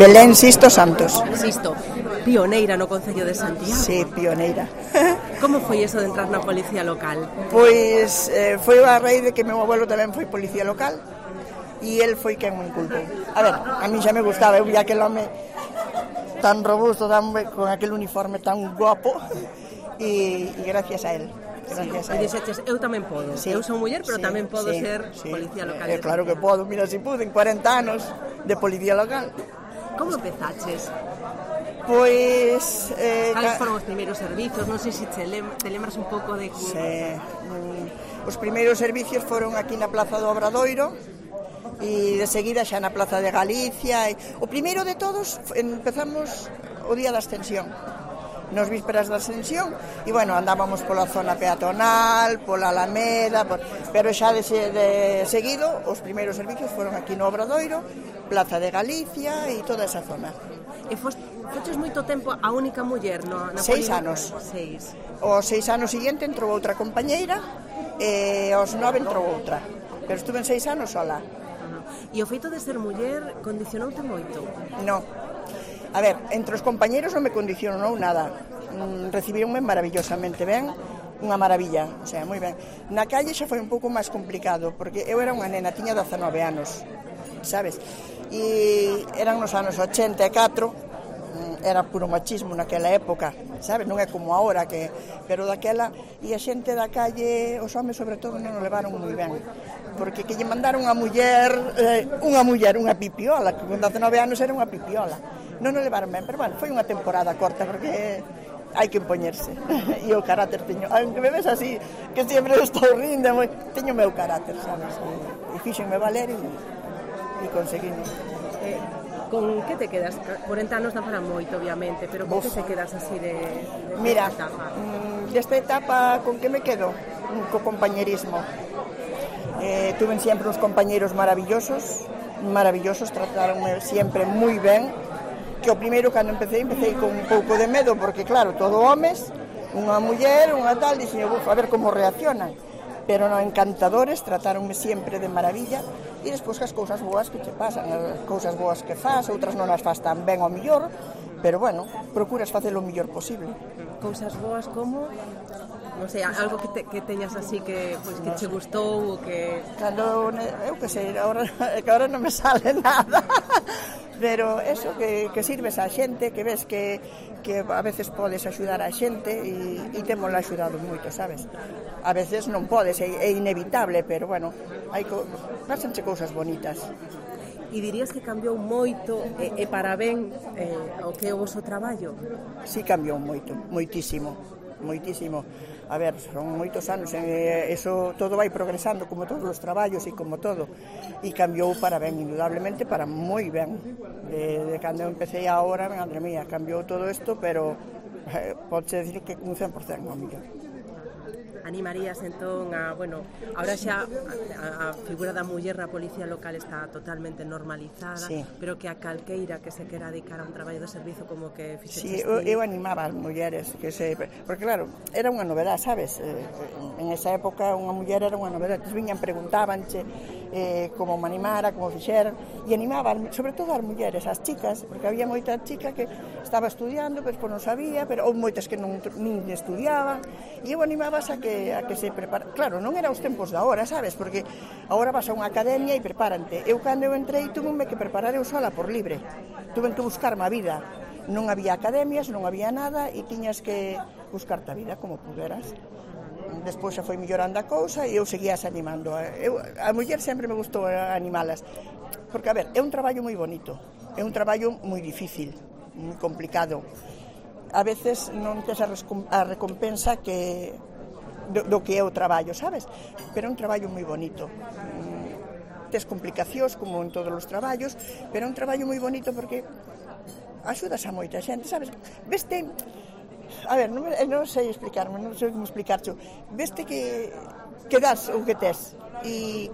Belén Sisto Santos. Sisto, pioneira no Concello de Santiago. Sí, pioneira. Como foi eso de entrar na policía local? Pois foi a raíz de que meu abuelo tamén foi policía local e el foi quen me inculpou. A ver, a mí xa me gustaba, eu vi aquel home tan robusto, con aquel uniforme tan guapo e gracias a él. E dixeches, eu tamén podo. Sí, eu son muller, pero tamén podo ser sí. policía local. Claro que podo, mira si pude, en 40 anos de policía local. Como empezaches? Pois... Cales foron os primeiros servizos? Non sei se te lembras un pouco de... Sí, os primeiros servicios foron aquí na Plaza do Obradoiro e de seguida xa na Plaza de Galicia. O primeiro de todos empezamos o día da Ascensión, nos vísperas da Ascensión, e bueno, andábamos pola zona peatonal, pola Alameda, pero xa de seguido os primeiros servicios foron aquí no Obradoiro, Plaza de Galicia e toda esa zona. E foches moito tempo a única muller na 6 anos. 6. Os 6 anos seguinte entrou outra compañeira e aos 9 entrou outra, pero estuve en 6 anos sola. E o feito de ser muller condicionoute moito? No. A ver, entre os compañeros non me condicionou nada. Recibíronme maravillosamente ben, unha maravilla, o sea, moi ben. Na calle xa foi un pouco máis complicado, porque eu era unha nena, tiña 19 anos, sabes? E eran nos anos 84, era puro machismo naquela época, sabes? Non é como agora, pero daquela, e a xente da calle, os homes sobre todo, non o levaron moi ben, porque que lle mandaron unha muller, unha pipiola, que con 19 anos era unha pipiola. Non o levaron ben, pero bueno, foi unha temporada corta, porque hai que impoñerse. E o carácter teño, aunque me ves así, que sempre estou rindo, teño meu carácter, sabes? E fíxenme valer e conseguimos. Con que te quedas? 40 anos dá para moito, obviamente, pero con que te quedas así de Mira, esta etapa? Desta etapa, con que me quedo? Co compañerismo. Tuve sempre uns compañeros maravillosos, trataronme sempre moi ben, que o primeiro cando empecé con un pouco de medo, porque claro, todo homes, unha muller, unha tal, dixen, a ver como reaccionan, pero non, encantadores, tratáronme sempre de maravilla, e despois as cousas boas que te pasan, as cousas boas que faz, outras non as faz tan ben ao millor, pero bueno, procuras facer o mellor posible. Cousas boas como... Non sei, algo que teñas así que che gustou ou que... Cando, eu que sei, que ahora non me sale nada, pero eso, que sirves a xente, que ves que a veces podes axudar a xente e témola axudado moito, sabes? A veces non podes, é inevitable, pero bueno, pásanche cousas bonitas. E dirías que cambiou moito e para ben o que é o vosso traballo? Sí, cambiou moito, moitísimo. A ver, son moitos anos, eso todo vai progresando como todos os traballos e como todo, e cambiou para ben, indudablemente para moi ben. De cando empecé a ahora, madre mía, cambiou todo isto, pero pode decir que un 100% ao millón. Animarías entón a, bueno, ahora xa a figura da muller na policía local está totalmente normalizada, sí, pero que a calqueira que se quera dedicar a un traballo de servizo como que fixeches ti... eu animaba as mulleres, porque claro, era unha novedade, sabes? En esa época unha muller era unha novedade, viñan, preguntábanche como me animara, como fixeran, e animaban, sobre todo as mulleres, as chicas, porque había moita chica que estaba estudiando, pero non sabía, pero ou moitas que nin estudiaban, e eu animabas a que se prepara. Claro, non era os tempos de agora, sabes? Porque agora vas a unha academia e prepárante. Eu cando eu entrei tuve que preparar eu sola por libre. Tuve que buscarme a vida. Non había academias, non había nada e tiñas que buscarte a vida como puderas. Despois xa foi mellorando a cousa e eu seguías animando. A muller sempre me gustou animalas. Porque, a ver, é un traballo moi bonito. É un traballo moi difícil, moi complicado. A veces non tes a recompensa do que é o traballo, sabes? Pero é un traballo moi bonito. Tes complicacións como en todos os traballos, pero é un traballo moi bonito porque axudas a moita xente, sabes? Veste, a ver, non sei explicarme, non sei como explicarcho. Veste que das o que tes e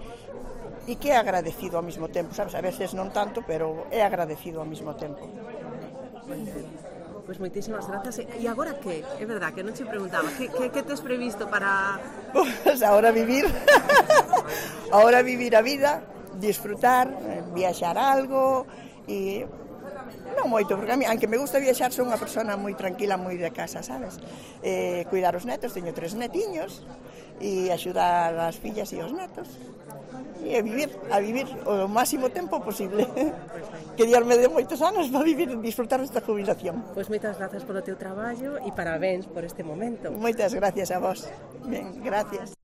que é agradecido ao mesmo tempo, sabes? A veces non tanto, pero é agradecido ao mesmo tempo. Pois moitísimas grazas. E agora que? É verdad que non che preguntaba que tes previsto para... Pois agora vivir a vida, disfrutar, viaxar algo e Non moito, porque a mí, aunque me gusta viaxar, son unha persona moi tranquila, moi de casa, sabes? Cuidar os netos, teño 3 netiños, e axudar as fillas e os netos. E a vivir o máximo tempo posible. Que Dios me dé moitos anos para vivir e disfrutar desta jubilación. Pois moitas grazas polo teu traballo e parabéns por este momento. Moitas gracias a vos. Ben, gracias.